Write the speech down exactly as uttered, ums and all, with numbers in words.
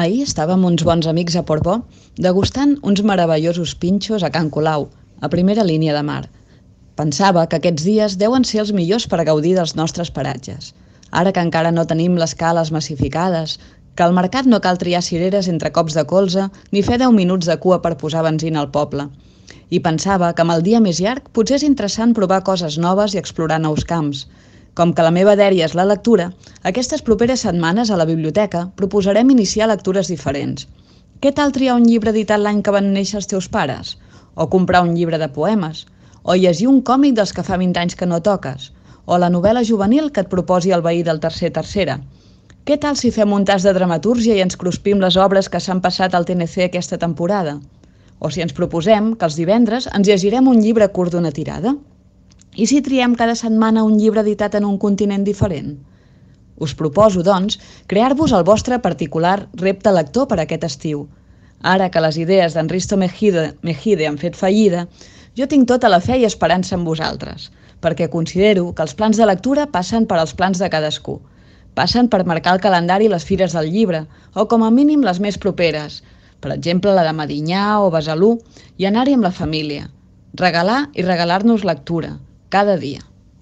Ahir estàvem uns bons amics a Portbó degustant uns meravellosos pinxos a Can Colau, a primera línia de mar. Pensava que aquests dies deuen ser els millors per gaudir dels nostres paratges. Ara que encara no tenim les cales massificades, que al mercat no cal triar cireres entre cops de colze ni fer deu minuts de cua per posar benzina al poble. I pensava que amb el dia més llarg potser és interessant provar coses noves i explorar nous camps. Com que la meva dèria és la lectura, aquestes properes setmanes a la biblioteca proposarem iniciar lectures diferents. Què tal triar un llibre editat l'any que van néixer els teus pares? O comprar un llibre de poemes? O llegir un còmic dels que fa vint anys que no toques? O la novel·la juvenil que et proposi el veí del tercer tercera? Què tal si fem un tas de dramatúrgia i ens cruspim les obres que s'han passat al T N C aquesta temporada? O si ens proposem que els divendres ens llegirem un llibre curt d'una tirada? I si triem cada setmana un llibre editat en un continent diferent? Us proposo, doncs, crear-vos el vostre particular repte lector per aquest estiu. Ara que les idees d'en Risto Mejide, Mejide han fet fallida, jo tinc tota la fe i esperança en vosaltres, perquè considero que els plans de lectura passen per als plans de cadascú. Passen per marcar el calendari les fires del llibre, o com a mínim les més properes, per exemple la de Medinyà o Besalú, i anar-hi amb la família. Regalar i regalar-nos lectura, cada dia.